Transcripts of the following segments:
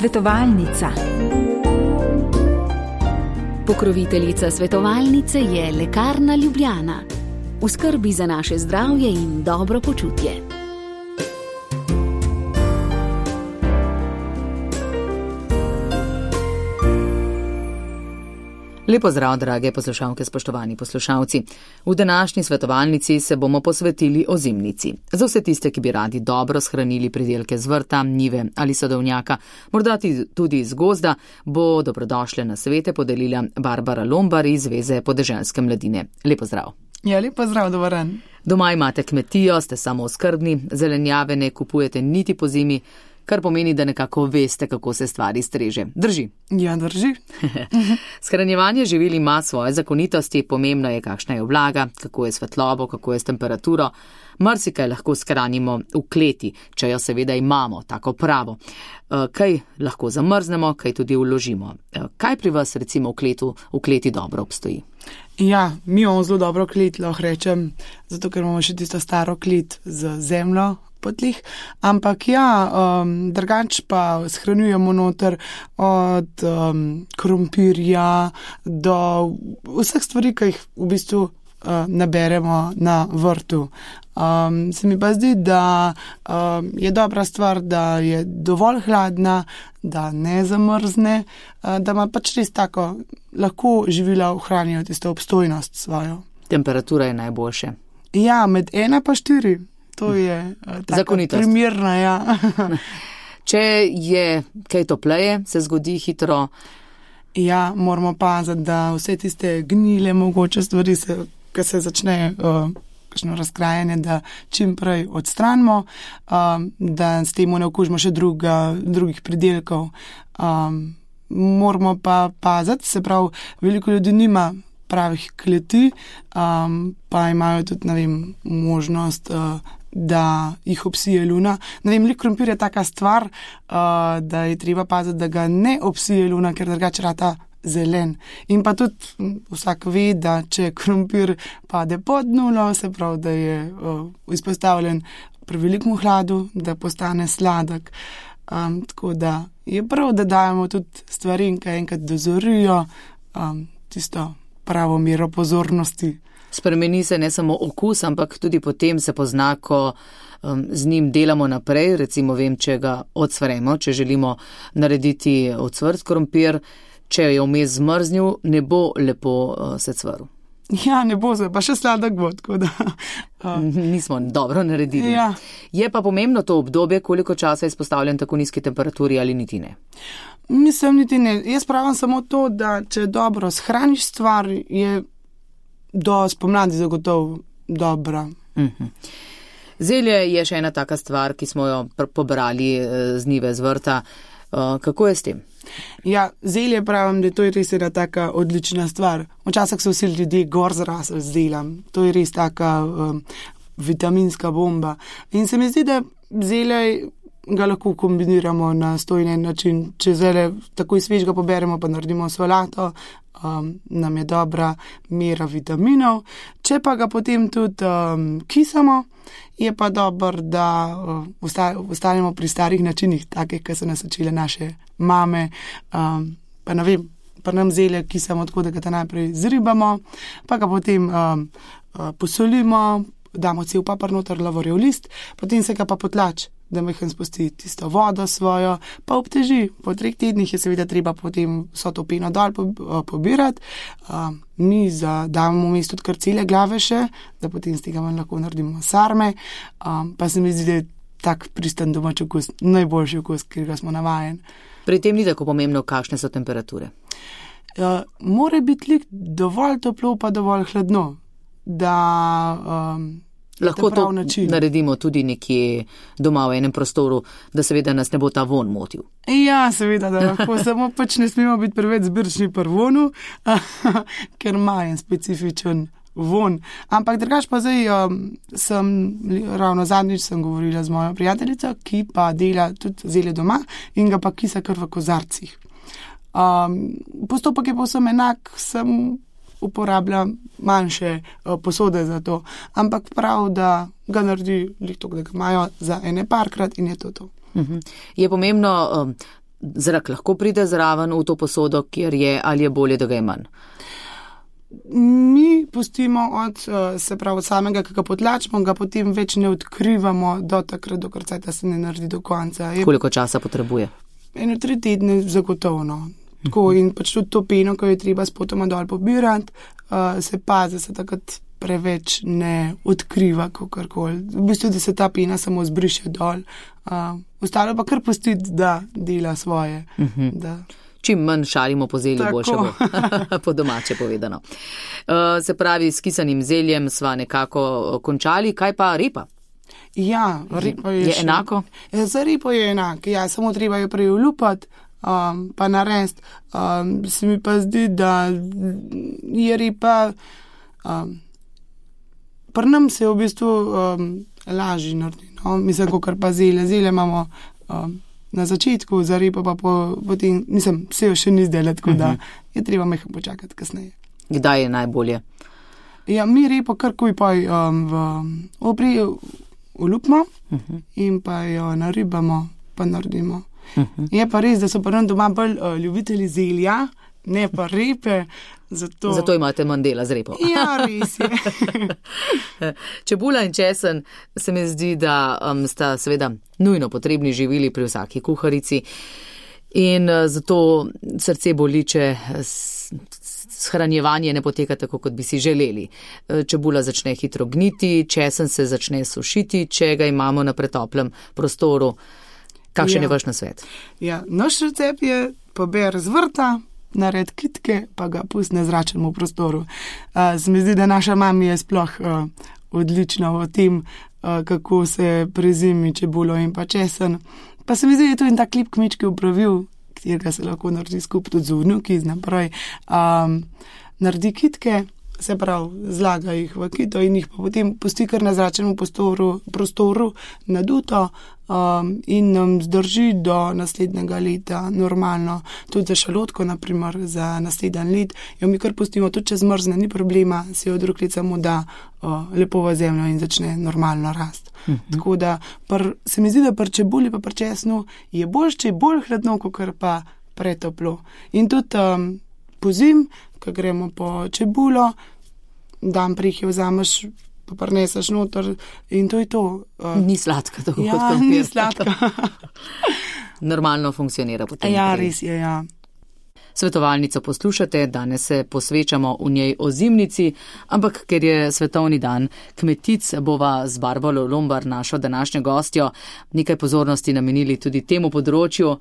Svetovalnica. Pokroviteljica svetovalnice je Lekarna Ljubljana. V skrbi za naše zdravje in dobro počutje. Lepo zdrav, drage poslušalke, spoštovani poslušalci. V današnji svetovalnici se bomo posvetili ozimnici. Za vse tiste, ki bi radi dobro shranili pridelke z vrta, njive ali sadovnjaka, morda tudi iz gozda, bo dobrodošle nasvete podelila Barbara Lombar iz Zveze podeželske mladine. Lepo zdrav. Ja, lepo zdrav, dober dan. Doma imate kmetijo, ste samooskrbni, zelenjave ne kupujete niti po zimi, kar pomeni, da nekako veste, kako se stvari streže. Drži? Ja, drži. Shranjevanje živil ima svoje zakonitosti, pomembna je, kakšna je vlaga, kako je svetlobo, kako je s temperaturo. Marsikaj lahko shranimo v kleti, če jo seveda imamo, tako pravo. Kaj lahko zamrznemo, kaj tudi vložimo. Kaj pri vas recimo v kleti dobro obstoji? Ja, mi imamo zelo dobro klet, lahko rečem, zato ker imamo še tisto staro klet z zemljo potlih, ampak ja, drugač pa shranjujemo noter od krompirja do vseh stvari, ki jih v bistvu naberemo na vrtu. Se mi pa zdi, da je dobra stvar, da je dovolj hladna, da ne zamrzne, da ima pač res tako, lahko živila ohranijo tisto obstojnost svojo. Temperatura je najboljše. Ja, med 1 pa 4. To je zakonitost. Primerna, ja. Če je kaj topleje, se zgodi hitro. Ja, moramo paziti, da vse tiste gnile mogoče stvari, ki se začne kakšno razkrajanje, da čim prej odstranimo, da s tem ne okužimo še drugih pridelkov. Moramo pa paziti, se pravi, veliko ljudi nima pravih kleti, pa imajo tudi, ne vem, možnost, da jih obsije luna. Ne vem, krompir je taka stvar, da je treba paziti, da ga ne obsije luna, ker drugače rata zelen. In pa tudi vsak ve, da če krompir pade pod nulo, se pravi, da je izpostavljen prevelikom hladu, da postane sladek. Tako da je prav, da dajemo tudi stvari, ki enkrat dozorijo tisto pravo mero pozornosti. Spremeni se ne samo okus, ampak tudi potem se pozna, ko z njim delamo naprej. Recimo vem, če ga odsvremo, če želimo narediti ocvrt krompir, če je vmes zmrznil, ne bo lepo se cvrl. Ja, ne bo se, pa še sladek bo, tako da. Nismo dobro naredili. Ja. Je pa pomembno to obdobje, koliko časa je izpostavljen tako nizki temperaturi ali niti ne? Mislim, niti ne. Jaz pravim samo to, da če dobro shraniš stvar, je do spomladi zagotovo dobra. Zelje je še ena taka stvar, ki smo jo pobrali z njive, z vrta. Kako je s tem? Ja, zelje pravim, da to je res ena taka odlična stvar. Včasih so vsi ljudje gor zrasli z zeljem. To je res taka vitaminska bomba. In se mi zdi, da zelje ga lahko kombiniramo na 101 način. Če zelje takoj svežega poberemo, pa naredimo solato, nam je dobra mera vitaminov. Če pa ga potem tudi kisamo, je pa dobro, da ostanemo pri starih načinih, takih, ki so nas učile naše mame. Pa ne vem, pa nam zelje kisamo tako, da ga najprej zribamo, pa ga potem posolimo, damo cel papar noter, lavorjev list, potem se ga pa potlači, da majhen spusti tisto vodo svojo, pa obteži. Po 3 tednih je seveda treba potem vso to peno dol pobirati. Mi damo vmes tudi kar cele glave še, da potem z tega lahko naredimo sarme. Pa se mi zdi, da je tak pristan domač okus, najboljši okus, ker ga smo navajeni. Pri tem ni tako pomembno, kakšne so temperature? Mora biti dovolj toplo, pa dovolj hladno, da lahko to naredimo tudi nekje doma v enem prostoru, da seveda nas ne bo ta von motil. Ja, seveda, da lahko, samo pač ne smemo biti preveč zbirčni pri vonu, ker ima en specifičen von. Ampak drugač pa zdaj ravno zadnjič sem govorila z mojo prijateljico, ki pa dela tudi zelje doma in ga pa kisa kar v kozarcih. Postopek je povsem enak, sem uporablja manjše posode za to, ampak prav, da ga naredi toliko, da ga imajo za ene parkrat in je to. Je pomembno zrak lahko pride zraven v to posodo, kjer je, ali je bolje, da ga je manj? Mi pustimo od samega, ki ga potlačimo, ga potem več ne odkrivamo do takrat, dokler se ne naredi do konca. Koliko časa potrebuje? 1-3 tedne zagotovno. Tako, in pač tudi to peno, ko je treba spotoma dol pobirati, se pazi, da se takrat preveč ne odkriva kakorkoli. V bistvu, da se ta pena samo zbriše dol. Ostalo pa kar pustiti, da dela svoje. Da. Čim manj šalimo po zelju, boljše bo, po domače povedano. Se pravi, s kisanim zeljem sva nekako končali, kaj pa repa? Ja, repa je enako? Za repo je enako, ja, samo treba jo prej olupati, pa narediti. Se mi pa zdi, da je repa, pri nam se v bistvu lažje naredi, no? Mislim, kakor pa zelje. Zelje imamo na začetku, za repo pa potem, se jo še ni zdelo, tako da je treba mehko počakati kasneje. Kdaj je najbolje? Ja, mi repo karkuj pa olupimo in pa jo naribamo, pa naredimo. Je pa res, da so pa nam doma bolj ljubitelji zelja, ne pa repe. Zato imate manj dela z repo. Ja, res je. Čebula in česen se mi zdi, da sta seveda nujno potrebni živili pri vsaki kuharici in zato srce boli, če shranjevanje ne poteka tako, kot bi si želeli. Čebula začne hitro gniti, česen se začne sušiti, če ga imamo na pretoplem prostoru. Kakšen je vaš nasvet? Ja, naš recept je pober z vrta, naredi kitke, pa ga pusti na zračnem prostoru. Se mi zdi, da naša mama je sploh odlična v tem, kako se prezimi čebulo in pa česen. Pa se mi zdi, da je to in ta klip kmečki upravil, katerega se lahko naredi skupaj tudi z vnuki, naprej. Naredi kitke, se pravi, zlaga jih v kito in jih pa potem pusti kar na zračnem prostoru naduto in nam zdrži do naslednjega leta normalno. Tudi za šalotko, naprimer, za naslednji let, jo mi kar pustimo, tudi če zmrzne, ni problema, se jo drug let samo da lepo v zemljo in začne normalno rast. Tako da se mi zdi, da pri čebuli pa pri česnu je boljše, če je bolj hladno, kakor pa pretoplo. In tudi pozim, ko gremo po čebulo, dan prih jo vzameš, pa prineseš noter in to je to. Ni sladka, tako ja, kot krompir. Ni sladka. Normalno funkcionira potem. Ja, res je, ja. Svetovalnico poslušate, danes se posvečamo v njej ozimnici, ampak ker je svetovni dan kmetic, bova z Barbaro Lombar, našo današnjo gostjo, nekaj pozornosti namenili tudi temu področju.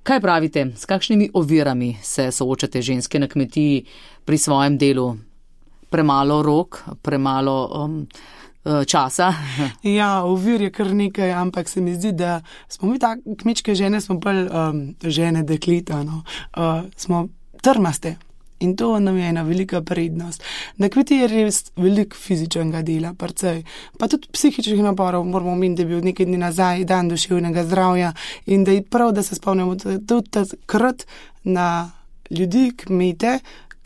Kaj pravite, s kakšnimi ovirami se soočate ženske na kmetiji pri svojem delu? Premalo rok, premalo časa? Ja, ovir je kar nekaj, ampak se mi zdi, da smo mi tako kmečke žene, smo bolj žene dekleta, no. Smo trmaste in to nam je ena velika prednost. Na kmetiji je res veliko fizičnega dela, precej. Pa tudi psihičnih naporov, moramo omeniti, da je bil nekaj dni nazaj dan duševnega zdravja in da je prav, da se spomnimo tudi takrat na ljudi, kmete,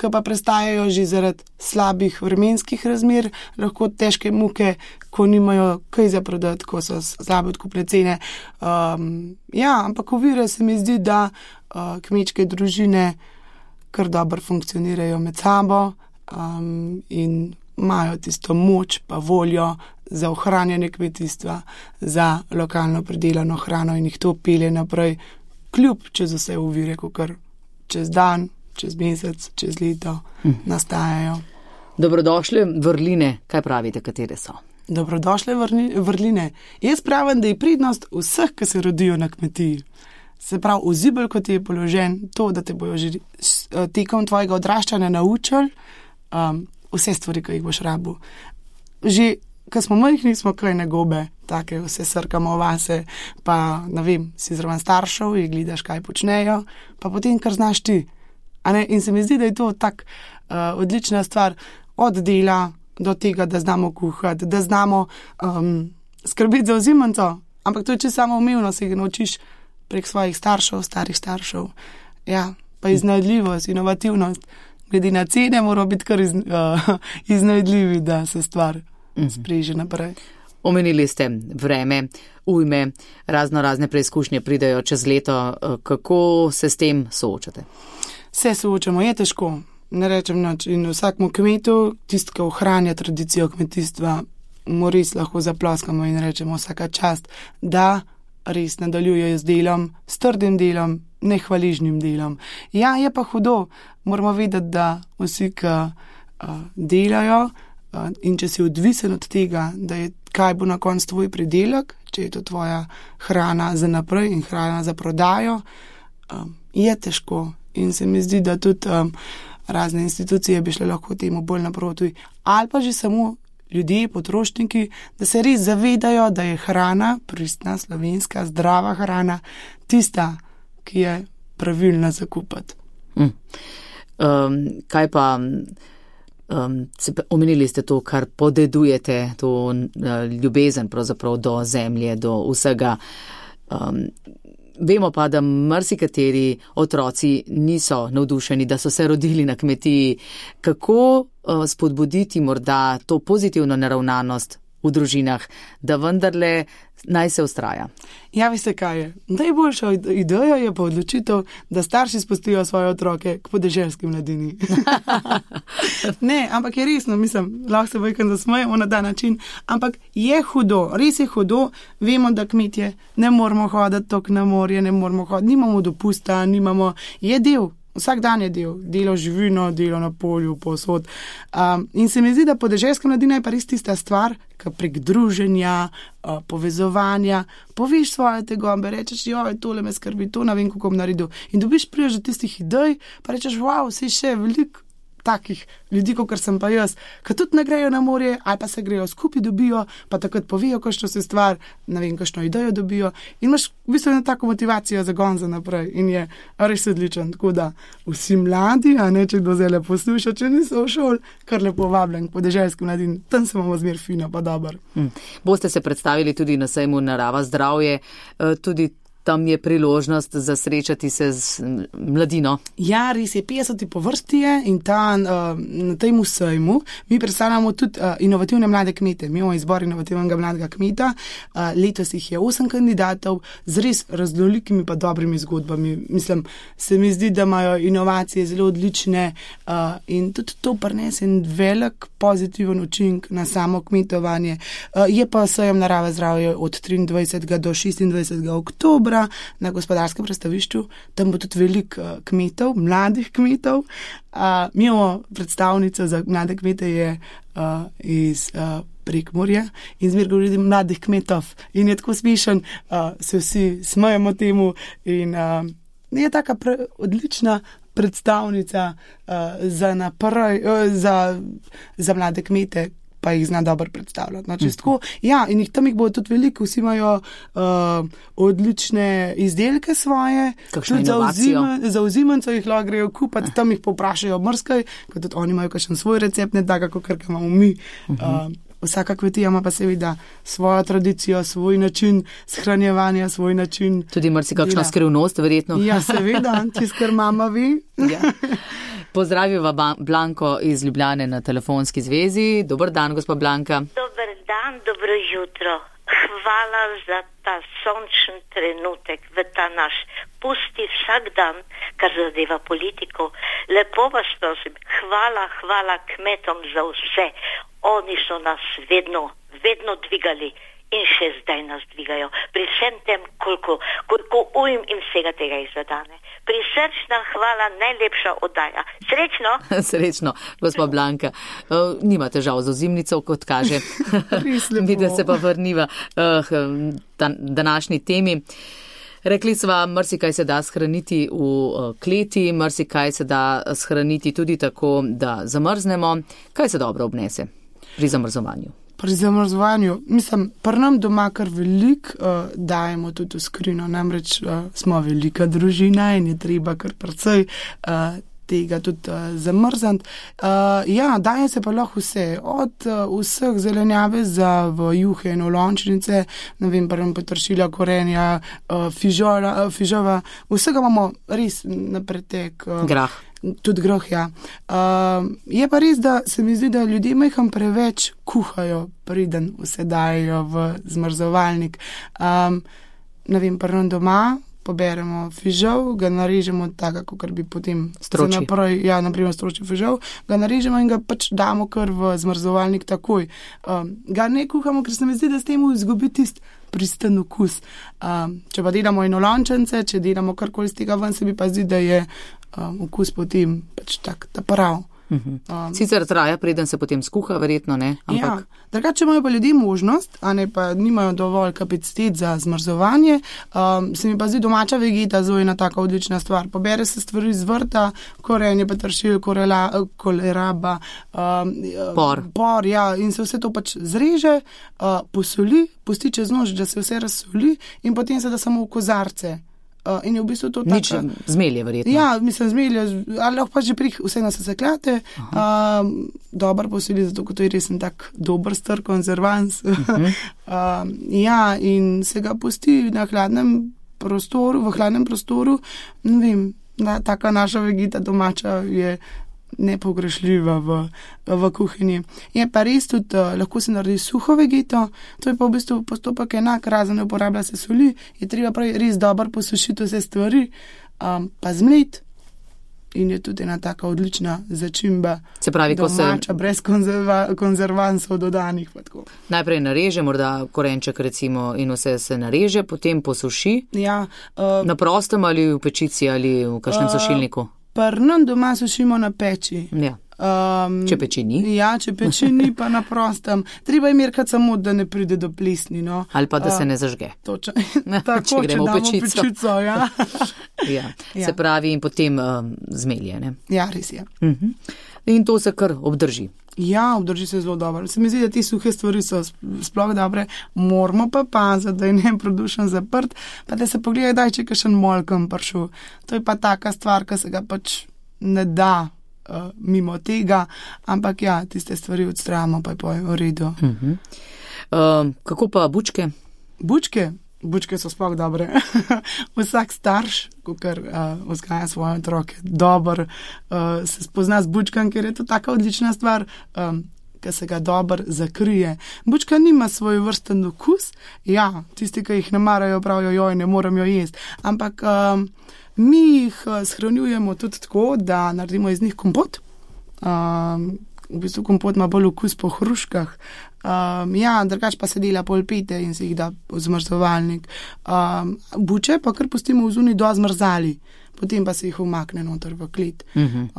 ki pa prestajajo že zaradi slabih vremenskih razmer, lahko težke muke, ko nimajo kaj za prodati, ko so slabe odkupne cene. Ja, ampak ovire se mi zdi, da kmečke družine kar dobro funkcionirajo med sabo in imajo tisto moč pa voljo za ohranjanje kmetijstva, za lokalno pridelano hrano in jih to pelje naprej, kljub čez vse ovire, kakor čez dan, čez mesec, čez leto nastajajo. Dobrodošle vrline, kaj pravite, katere so? Dobrodošle vrline. Jaz pravim, da je prednost vseh, ki se rodijo na kmetiji. Se pravi, vzibelj, kot je položen, to, da te bojo že tekom tvojega odraščanja naučili vse stvari, ki jih boš rabil. Že, ko smo majhni, smo kaj nagobe, take vse srkamo vase, pa, ne vem, si zraven staršev in gledaš, kaj počnejo, pa potem, kar znaš ti. In se mi zdi, da je to tak odlična stvar od dela do tega, da znamo kuhati, da znamo skrbeti za ozimnico, ampak to je čisto samoumevno, se ga naučiš prek svojih staršev, starih staršev. Ja, pa iznajdljivost, inovativnost. Glede na cene mora biti kar iznajdljivi, da se stvar spreže naprej. Omenili ste vreme, ujme, razne preizkušnje pridejo čez leto. Kako se s tem soočate? Se soočamo, je težko, ne rečem nič. In vsakmu kmetu, tisti, ki ohranja tradicijo kmetijstva, mu res lahko zaploskamo in rečemo vsaka čast, da res nadaljujejo z delom, s trdim delom, nehvaližnim delom. Ja, je pa hudo, moramo vedeti, da vsi, ki delajo in če si odvisen od tega, da je kaj bo na koncu tvoj pridelek, če je to tvoja hrana za naprej in hrana za prodajo, je težko. In se mi zdi, da tudi razne institucije bi šle lahko temu bolj naproti. Ali pa že samo ljudje, potrošniki, da se res zavedajo, da je hrana, pristna, slovenska, zdrava hrana, tista, ki je pravilna za kupiti. Kaj pa, omenili ste to, kar podedujete, to ljubezen pravzaprav do zemlje, do vsega. Vemo pa, da marsikateri otroci niso navdušeni, da so se rodili na kmetiji. Kako spodbuditi morda to pozitivno naravnanost v družinah, da vendarle naj se vztraja? Ja, veste kaj je? Najboljša ideja je pa odločitev, da starši spustijo svoje otroke k podeželski mladini. Ne, ampak je resno, mislim, lahko se vojkam zasmejemo na ta način, ampak je hudo, res je hudo, vemo, da kmetje ne moramo hoditi tok na morje, ne moramo hoditi, nimamo dopusta, je del. Vsak dan je delo živino, delo na polju, posod. In se mi zdi, da podeželska mladina je pa res tista stvar, ki prek druženja, povezovanja, poveš svoje tegobe, rečeš, joj, tole me skrbi, to ne vem, kako bom naredil. In dobiš prijež do tistih idej, pa rečeš, wow, si še veliko takih ljudi, kot sem pa jaz, ki tudi ne grejo na morje, ali pa se grejo skupaj dobijo, pa takrat povejo, kakšno se stvar, ne vem, kakšno idejo dobijo. In imaš v bistvu eno tako motivacijo za gon za naprej in je res odličen. Tako da vsi mladi, a ne, če kdo zdaj posluša, če niso v šoli, kar lepo vabljen k podeželski mladini, tam se imamo zmer fino, pa dober. Boste se predstavili tudi na sejmu Narava zdravje, tudi tam je priložnost za srečati se z mladino. Ja, res je, 50 po vrsti je in na tem sejmu mi predstavljamo tudi inovativne mlade kmete. Mi imamo izbor inovativnega mladega kmeta, letos jih je 8 kandidatov z res raznolikimi pa dobrimi zgodbami. Mislim, se mi zdi, da imajo inovacije zelo odlične in tudi to prinese en velik pozitiven učinek na samo kmetovanje. Je pa sejem Narava zdravje od 23. do 26. oktobra na gospodarskem razstavišču. Tam bo tudi veliko kmetov, mladih kmetov. Mi imamo predstavnico za mlade kmete je iz Prekmurja in zmer govori mladih kmetov in je tako smešen, se vsi smejemo temu in je taka odlična predstavnica za mlade kmete, pa jih zna dobro predstavljati. No, tako, ja, in tam jih bo tudi veliko, vsi imajo odlične izdelke svoje. Kakšno inovacijo? Za ozimence jih lahko grejo kupati, tam jih poprašajo mrskaj, ker tudi oni imajo kakšen svoj recept, ne tako, kakor imamo mi. Vsaka kmetija ima pa seveda svojo tradicijo, svoj način shranjevanja, svoj način tudi marsikakšna skrivnost, verjetno. Ja, seveda, tisto, kar mama ve. Ja. Pozdraviva Blanko iz Ljubljane na telefonski zvezi. Dober dan, gospa Blanka. Dober dan, dobro jutro. Hvala za ta sončen trenutek v ta naš pusti vsak dan, kar zadeva politiko. Lepo vas prosim, hvala kmetom za vse. Oni so nas vedno dvigali in še zdaj nas dvigajo. Pri vsem tem, koliko ujm in vsega tega izvedane. Prisrčna hvala, najlepša oddaja. Srečno! Srečno, gospa Blanka. Nima težav z ozimnico, kot kaže. Mi, da se pa vrniva današnji temi. Rekli sva, marsikaj se da shraniti v kleti, marsikaj se da shraniti tudi tako, da zamrznemo. Kaj se dobro obnese pri zamrzovanju? Pri zamrzovanju, mislim, pri nam doma kar veliko dajemo tudi v skrino, namreč smo velika družina in je treba kar precej tega tudi zamrzniti. Ja, daje se pa lahko vse, od vseh zelenjave v juhe in olončnice, ne vem, peteršilja, korenja, fižova, vsega imamo res na pretek. Tudi groh, ja. Je pa res, da se mi zdi, da ljudje majham preveč kuhajo, preden vse dajo v zmrzovalnik. Ne vem, prvo doma poberemo fižol, ga narežemo tako, kot bi potem stročil. Naprimer stročil fižol, ga narežemo in ga pač damo kar v zmrzovalnik takoj. Ga ne kuhamo, ker se mi zdi, da s tem izgubi tisti pristen okus. Če pa delamo enolončence, če delamo karkoli z tega ven, se mi pa zdi, da je okus potem pač tak, ta prav. Sicer traja, preden se potem skuha, verjetno ne. Ampak... Ja, drugače imajo pa ljudje možnost, a ne pa nimajo dovolj kapacitet za zmrzovanje. Se mi pa zdi domača vegeta zelo ena taka odlična stvar. Pobere se stvari z vrta, korenje, peteršilj, koleraba, por, ja, in se vse to pač zreže, posoli, pusti čez noč, da se vse razsoli in potem se da samo v kozarce. In je v bistvu to tako... Nič zmelje, verjetno. Ja, mislim, zmelje, ali lahko pa že vse nas sesekljate. Dobar posili, zato kot to je resen tak dober star konzervans. Ja, in se ga pusti na hladnem prostoru, v hladnem prostoru. Ne vem, taka naša vegeta domača je nepogrešljiva v kuhinji. Je pa res tudi, lahko se naredi suho vegeto, to je pa v bistvu postopek enak, razen ne uporablja se soli, je treba prav res dobro posušiti vse stvari, pa zmlet in je tudi ena taka odlična začimba. Se pravi, domača, brez konzervansov dodanih. Najprej nareže, morda korenček recimo in vse se nareže, potem posuši. Ja, na prostem ali v pečici ali v kakšnem sušilniku? Nam doma sušimo na peči. Ja. Če peči ni? Ja, če peči ni, pa na prostem. Treba je merkati samo, da ne pride do plesni. No. Ali pa, da se ne zažge. Točno. Tako, če gremo v pečico. Ja. Ja. Se pravi, in potem zmelje. Ne? Ja, res je. In to se kar obdrži. Ja, obdrži se zelo dobro. Se mi zdi, da ti suhe stvari so sploh dobre. Moramo pa paziti, da je ne produšen zaprt, pa da se pogleda, daj, če kakšen molkem prišel. To je pa taka stvar, ki se ga pač ne da mimo tega, ampak ja, tiste stvari odstravamo, pa je v redu. Kako pa bučke? Bučke so sploh dobre. Vsak starš, kar vzgaja svoje otroke, dobro se spozna z bučkam, ker je to taka odlična stvar, ki se ga dobro zakrije. Bučka nima svoj vrsten okus, ja, tisti, ki jih ne marajo, pravijo, joj, ne moram jo jesti, ampak mi jih shranjujemo tudi tako, da naredimo iz njih kompot. V bistvu kompot ima bolj okus po hruškah. Ja, drugače pa se dela polpete in se jih da v zmrzovalnik. Buče pa kar pustimo v zunaj do zmrzali, potem pa se jih umakne noter v klet.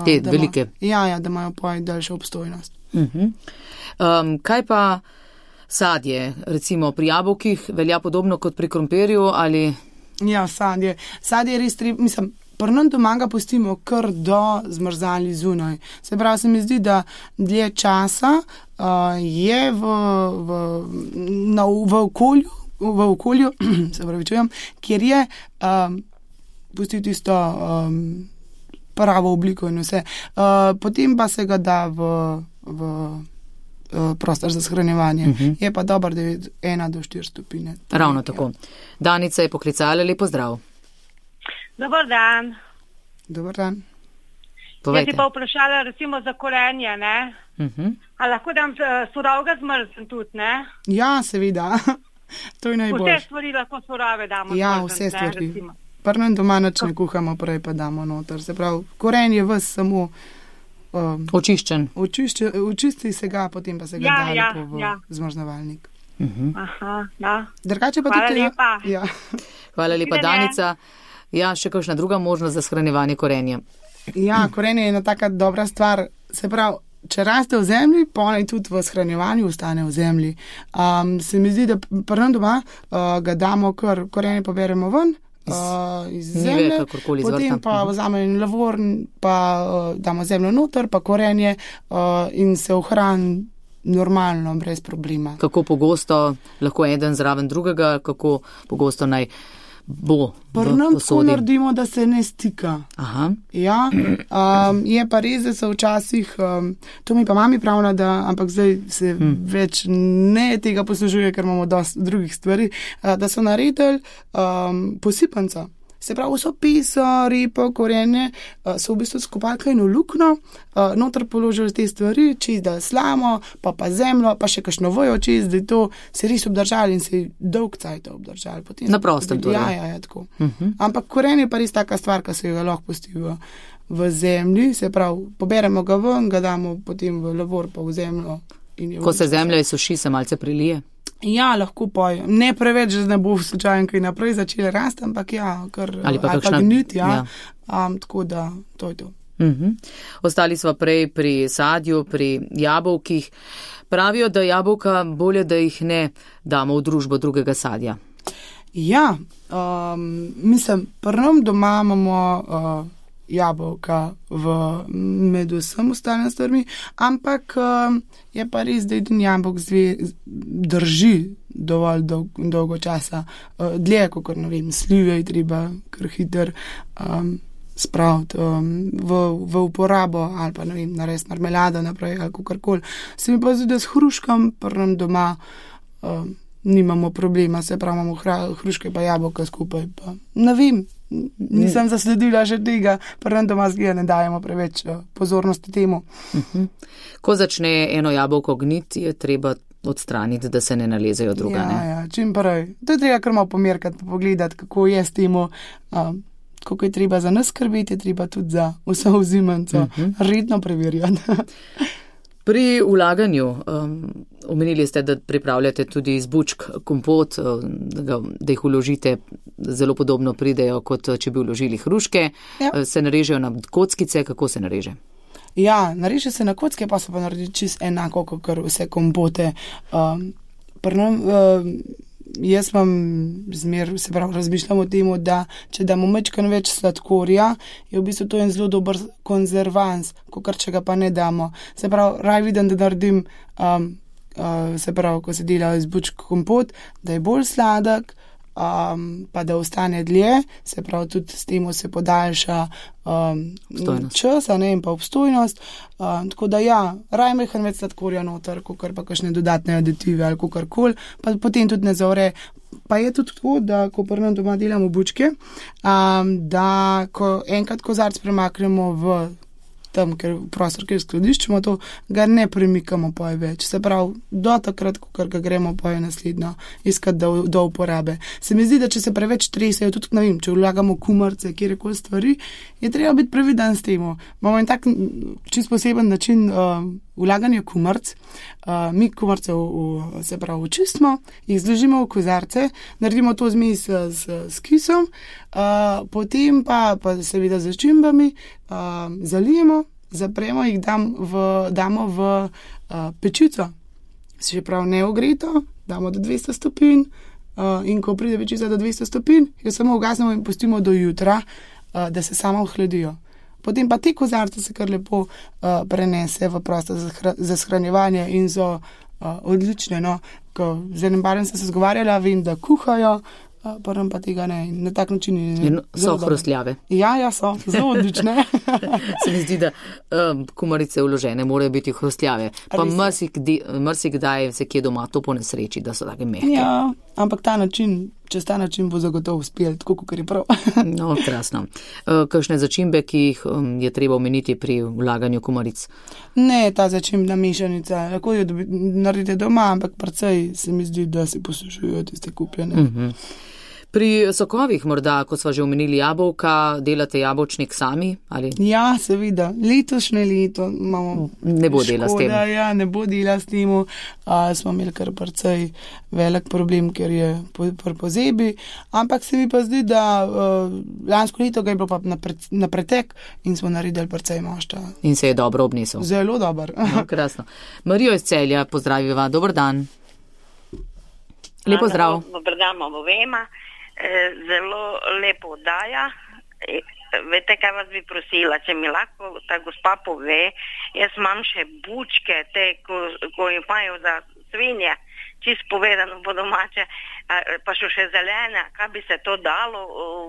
Te velike. Ja, da imajo poj daljšo obstojnost. Kaj pa sadje? Recimo pri jabolkih velja podobno kot pri krompirju ali... Ja, sadje. Sadje je res treba, mislim, prvo doma ga pustimo kar do zmrzali zunaj. Se pravi, se mi zdi, da dlje časa je v okolju, se pravi čujem, kjer je pustil tisto pravo obliko in vse. Potem pa se ga da v prostor za shranjevanje. Je pa dobro, da je 1 do 4 stopinje. Ravno tako. Danica je poklicala, lepo zdrav. Dobar dan. Dobar dan. Povejte. Jaz si pa vprašala recimo za korenje, ne? A lahko dam surovega zmrzn tudi, ne? Ja, seveda. To je najbolj. Vse stvari lahko surove damo. Ja, zmrzn, vse stvari. Ne, Prnem doma nič ne kuhamo, prej pa damo noter. Se pravi, korenje vas samo očiščen. Očisti se ga, potem pa se ga da lepo v zmrznovalnik. Aha, ja. Drugače pa hvala tudi... Lepa. Ja. Hvala lepa, Danica. Ja, še kakšna druga možnost za shranjevanje korenja? Ja, korenje je ena taka dobra stvar. Se pravi, če raste v zemlji, ponaj tudi v shranjevanju ostane v zemlji. Se mi zdi, da prvo doma ga damo, kar korenje poberemo ven, iz zemlje, potem pa vzamemo en lavor, pa damo zemljo noter, pa korenje in se ohrani normalno, brez problema. Kako pogosto lahko eden zraven drugega, kako pogosto naj bo v posodi? Prnem tako naredimo, da se ne stika. Aha. Ja, je pa res, da so včasih, to mi pa mami pravila, ampak zdaj se več ne tega poslužuje, ker imamo dosti drugih stvari, da so naredili posipanca. Se pravi, so piso, repo, korenje, so v bistvu skopali kaj eno lukno, noter položili te stvari, čist da slamo, pa zemljo, pa še kakšno vojo čist, da je to se res obdržali in se je dolg cajt obdržali. Potem na prostem torej. Ja, tako. Ampak korenje pa res taka stvar, ki se ga lahko pusti v zemlji, se pravi, poberemo ga ven, ga damo potem v lavor pa v zemljo. Ko se zemlja izsuši, se malce prilije? Ja, lahko pojo. Ne preveč, da ne bo slučajno kaj naprej začeli rasti, ampak ja, ali pa gniti, ja. Tako da, to je to. Ostali smo prej pri sadju, pri jabolkih. Pravijo, da jabolka bolje, da jih ne damo v družbo drugega sadja. Ja, mislim, prvom doma imamo jabolka med vsem ostalim stvarmi, ampak je pa res, da eden jabolk drži dovolj dolgo časa. Dlje, kot ne vem, slive je treba kar hiter spraviti v uporabo ali pa ne vem, narediti marmelado naprej ali kakorkoli. Se mi pa zdi, da s hruškom prvem doma nimamo problema, se pravi, imamo hruške pa jabolka skupaj. Pa ne vem, nisem zasledila že tega, prvem doma zgleda ne dajemo preveč pozornosti temu. Ko začne eno jabolko gniti, je treba odstraniti, da se ne nalezejo druga. Ja, čim prej. To je treba kar malo pomerkati, pogledati, kako je s temu, kako je treba za nas skrbeti, je treba tudi za vse vzimance redno preverjati. Pri vlaganju, omenili ste, da pripravljate tudi iz bučk kompot, da jih vložite, zelo podobno pridejo, kot če bi vložili hruške. Ja. Se narežejo na kockice, kako se nareže? Ja, nareže se na kocke, pa se pa naredi čisto enako, kot vse kompote. Jaz vam se pravi, razmišljam o tem, da če damo majčkeno več sladkorja, je v bistvu to en zelo dober konzervans, kakor če ga pa ne damo. Se pravi, raj vidim, da naredim, se pravi, ko se dela iz bučk kompot, da je bolj sladek, pa da ostane dlje, se pravi, tudi s tem se podaljša čas in pa obstojnost. Tako da ja, raj mehen več sladkorja noter, kakor pa kakšne dodatne aditive ali kakorkoli, pa potem tudi ne zavre. Pa je tudi tako, da ko prvem doma delamo bučke, da ko enkrat kozarc premaknemo v tam, ker prostor, kjer skladiščimo to, ga ne premikamo poje več. Se pravi, do takrat, ko ga gremo poje naslednjo iskati do uporabe. Se mi zdi, da če se preveč tresejo, tudi ne vem, če vlagamo kumarce, kjerkoli stvari, je treba biti previden s temu. Imamo en tak čist poseben način vlaganja kumarc. Mi kumarce se pravi očistimo, jih zložimo v kozarce, naredimo to zmes s kisom, potem pa seveda z začimbami, zalijemo, zapremo, jih damo v pečico, se pravi neogreto, damo do 200 stopinj in ko pride pečica do 200 stopinj, jo samo ugasnemo in pustimo do jutra, da se samo ohladijo. Potem pa te kozarce se kar lepo prenese v prostor za shranjevanje in so odlične. No? Ko z enim barem sem se zgovarjala, vem, da kuhajo, prvem pa tega ne. Na tak način in so hrustljave. Ja, so zelo odlične. Se mi zdi, da kumarice vložene morajo biti hrustljave. Pa marsikdaj se kje doma to po nesreči, da so take mehke. Ja, ampak čez ta način bo zagotovo uspel, tako kot je prav. No, krasno. Kakšne začimbe, ki jih je treba omeniti pri vlaganju kumaric? Ne, ta začimbna mešanica. Lahko jo naredite doma, ampak precej se mi zdi, da se posušujejo tiste kupljene. Pri sokovih morda, ko sva že omenili jabolka, delate jabolčnik sami? Ali? Ja, seveda. Letošnje leto imamo ne bo dela s tem. Ja, ne bo dela s tem. Smo imeli kar precej velik problem, ker je pozebi. Ampak se mi pa zdi, da lansko leto ga je bilo pa na pretek in smo naredili precej mošta. In se je dobro obnesel. Zelo dober. No, krasno. Marijo iz Celja, pozdraviva. Dobar dan. Lepo zdrav. Dobar dan, obema. Zelo lepo oddaja. Veste, kaj vas bi prosila, če mi lahko ta gospa pove, jaz imam še bučke, te, ko imajo za svinje, čisto povedano po domače, pa še zelene, kaj bi se to dalo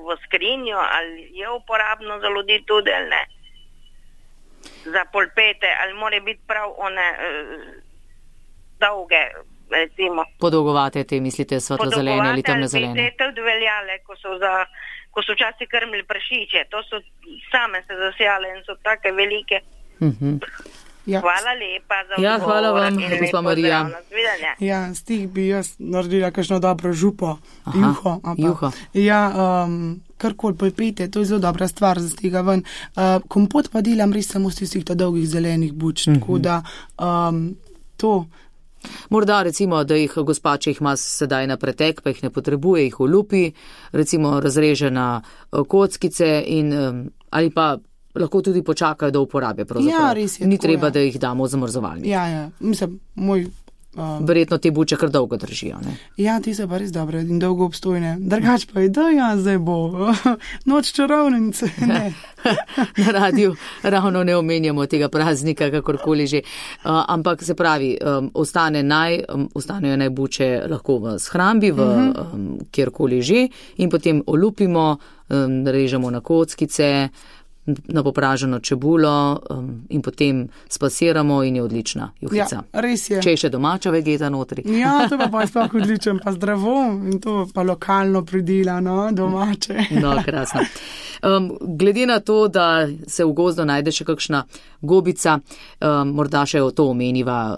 v skrinjo, ali je uporabno za ljudi tudi, ali ne? Za polpete, ali more biti prav one dolge, recimo. Podolgovate te, mislite, svetlo-zelene ali temno-zelene? Podolgovate, ali bi te tudi veljale, ko so za ko so včasih krmili prašiče, to so same se zasijale in so take velike. Ja. Hvala lepa za Ja, hvala vam, gospa Marija. Ja, s tih bi jaz naredila kakšno dobro župo, juho. Ja, karkoli pojpete, to je zelo dobra stvar za tega ven. Kompot pa delam res samo z tistih dolgih zelenih buč, tako da to. Morda recimo, da jih gospa, če jih ima sedaj na pretek, pa jih ne potrebuje, jih olupi, recimo razreže na kockice in ali pa lahko tudi počakajo do uporabe. Ja, res je. Ni tako, treba, da jih damo v zamrzovalnik. Ja, mislim, moj... Verjetno te buče kar dolgo držijo, ne? Ja, ti so pa res dobre in dolgo obstojne. Drugač pa je, da ja, zdaj bo noč čarovnice, ne. Na radiju ravno ne omenjamo tega praznika, kakorkoli že. Ampak se pravi, ostanejo naj buče lahko v shrambi, kjerkoli že, in potem olupimo, režemo na kockice, na popraženo čebulo in potem spasiramo in je odlična juhica. Ja, res je. Če je še domača vegeta notri. Ja, to pa je sploh odličen, pa zdravo in to pa lokalno pridelano, domače. No, krasno. Glede na to, da se v gozdu najde še kakšna gobica, morda še o to omeniva,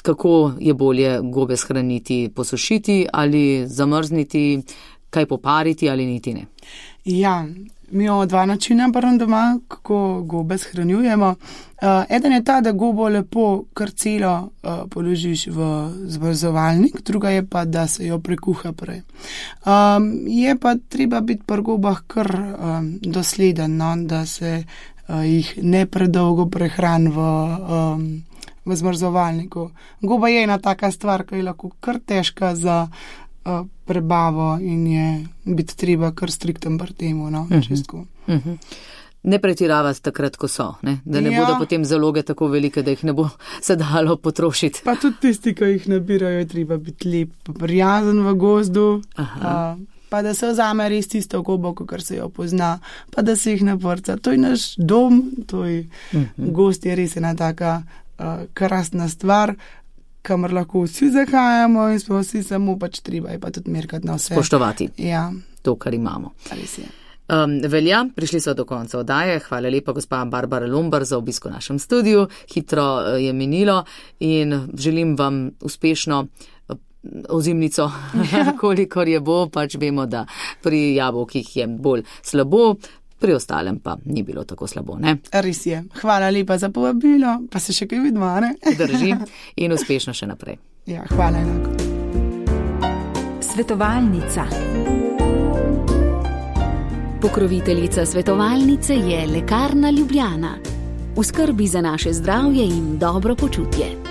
kako je bolje gobe shraniti, posušiti ali zamrzniti, kaj popariti ali niti ne. Ja, mi imamo dva načina doma, kako gobe shranjujemo. Eden je ta, da gobo lepo kar celo položiš v zamrzovalnik, druga je pa, da se jo prekuha prej. Je pa treba biti pri gobah kar dosleden, no, da se jih ne predolgo prehrani v zamrzovalniku. Goba je ena taka stvar, ki je lahko kar težka za prebavo in je biti treba kar strikten pri temu, no, čistko. Ne pretiravati takrat, ko so, ne? Da ne bodo potem zaloge tako velike, da jih ne bo se dalo potrošiti. Pa tudi tisti, ki jih nabirajo, je treba biti lep, prijazen v gozdu, pa da se vzame res tisto gobo, kar se jo pozna, pa da se jih ne vrca. To je naš dom, to je gozd, je res ena taka krasna stvar, kamor lahko vsi zahajamo in smo vsi samo pač treba je pa tudi merkati na vse. Spoštovati. Ja. To, kar imamo. Res je. Velja, prišli so do konca oddaje. Hvala lepa, gospa Barbara Lombar, za obisko v našem studiu. Hitro je minilo in želim vam uspešno ozimnico, kolikor je bo, pač vemo, da pri jabolkih je bolj slabo, pri ostalem pa ni bilo tako slabo, ne? Res je. Hvala lepa za povabilo, pa se še kaj vidimo, ne? Drži in uspešno še naprej. Ja, hvala enako. Svetovalnica. Pokroviteljica svetovalnice je Lekarna Ljubljana. V skrbi za naše zdravje in dobro počutje.